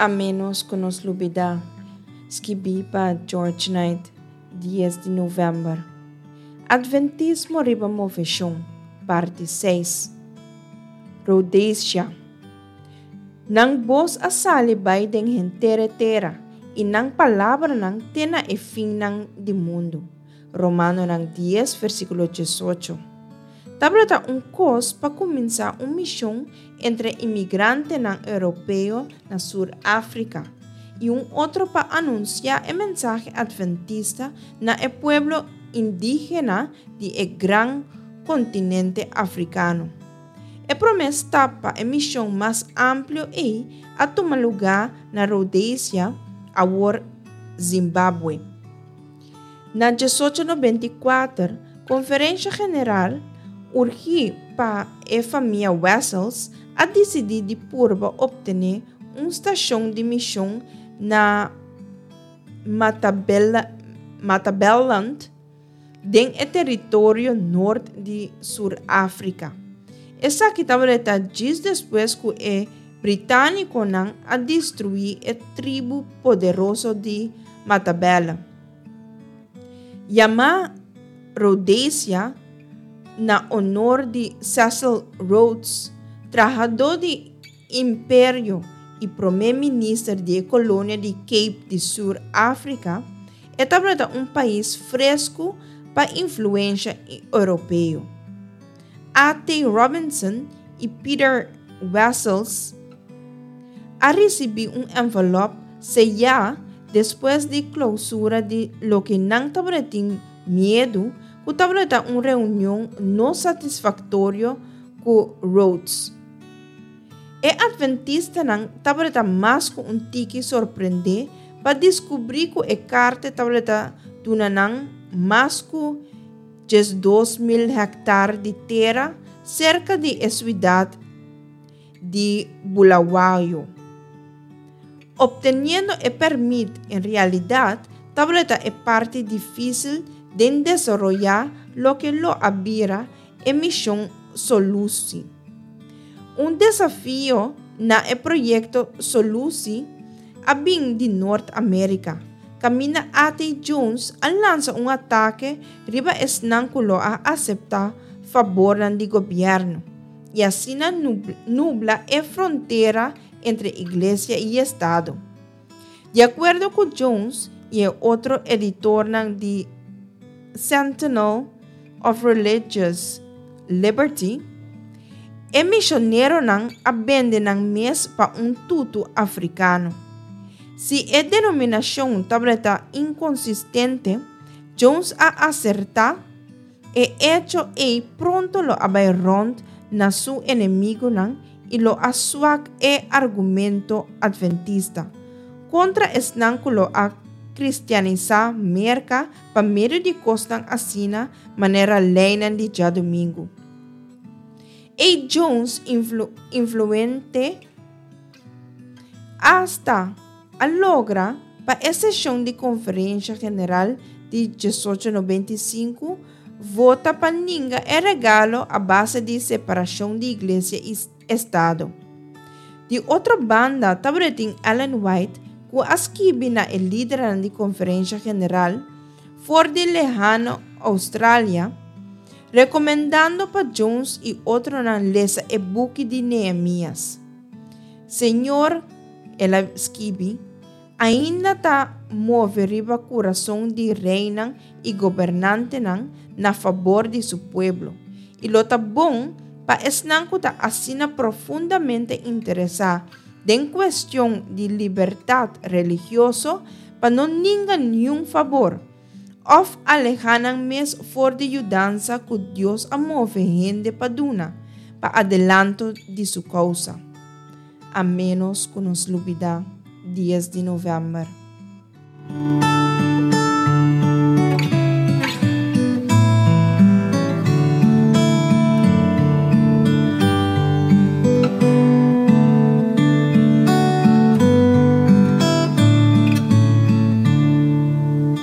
A ménos ku nos lubidá, skibí pa George Knight, dies di novèmber. Adventismo riba moveshon, parti seis. Rhodesia. Nan bos a sali bai den henter e tera, i nan palabranan te na e finnan di mundu. Romanonan dies, versíkulo diesocho. Tabata un kos pa kuminsá un mishon entre imigrantenan europeo na Sur Afrika i un otro pa anunsiá e mensahe adventista na e pueblo indígena di e gran kontinente afrikano. E promé stap pa e mishon mas amplio ei a tuma lugá na Rhodesia, awor Zimbabwe. Na 1894, Konferensha General, urgí pa e famia Wessels, a disidí di purba optené un stashon di mishon na Matabeleland den e teritorio nort di Sur Afrika. Esaki tabata djis despues ku e Británikonan a destruí e tribu poderoso di Matabele. Yamá Rhodesia na onor di Cecil Rhodes, trahadó di imperio i promé minister di e kolonia di Cape di Sur Afrika, e tabata un pais fresku pa influensha europeo. A. T. Robinson i Peter Wessels a risibí un envelòp seyá despues di klousura di loke nan tabatin miedu ku tabata un reunion no satisfaktorio ku Rhodes. E adventistanan tabata mas ku un tiki sorprendé pa diskubrí ku e karta tabata duna nan mas ku 12.000 hèktar di tera serka di e suidat di Bulawayo. Opteniendo e pèrmit en realidat tabata e parti difísil den desaroyá loke lo a bira e mishon Solusi. Un desafio na e proyekto Solusi a bin di Nort Amérika, kaminda A.T. Jones a lansa un atake riba esnan ku lo a aseptá fabornan di gobièrnu i asina nubla e frontera entre iglesia i estado. Di akuerdo ku Jones i e otro editornan di Sentinel of Religious Liberty, e mishoneronan a bende nan mes pa un tutu afrikano. Si e denominashon tabata inkonsistente, Jones a asertá, e echo ei pronto lo a bai rònt na su enemigunan i lo a swak e argumento adventista kontra esnan ku lo a kristianisá Merka pa medio di kosnan asina manera leinan di djadumingu. A. Jones influente asta a logra pa e seshon di Konferensha General di 1895 vota pa ninga e regalo a base di separashon di Iglesia i Estado. Di otro banda tabatin Ellen White ku a skibi na e lidernan di Konferensha General for di lehano Australia, rekomendando pa Jones i otronan lesa e buki di Nehemias. Señor, el a skibi, ainda ta move riba kurason di reinan i gobernantenan na fabor di su pueblo, i lo ta bon pa esnan ku ta asina profundamente interesá den kuestion di libertat religioso pa no ninga niun fabor, òf alehá nan mes for di yudansa ku Dios a move hende pa duna pa adelanto di su kousa. A ménos ku nos lubidá dies di novèmber.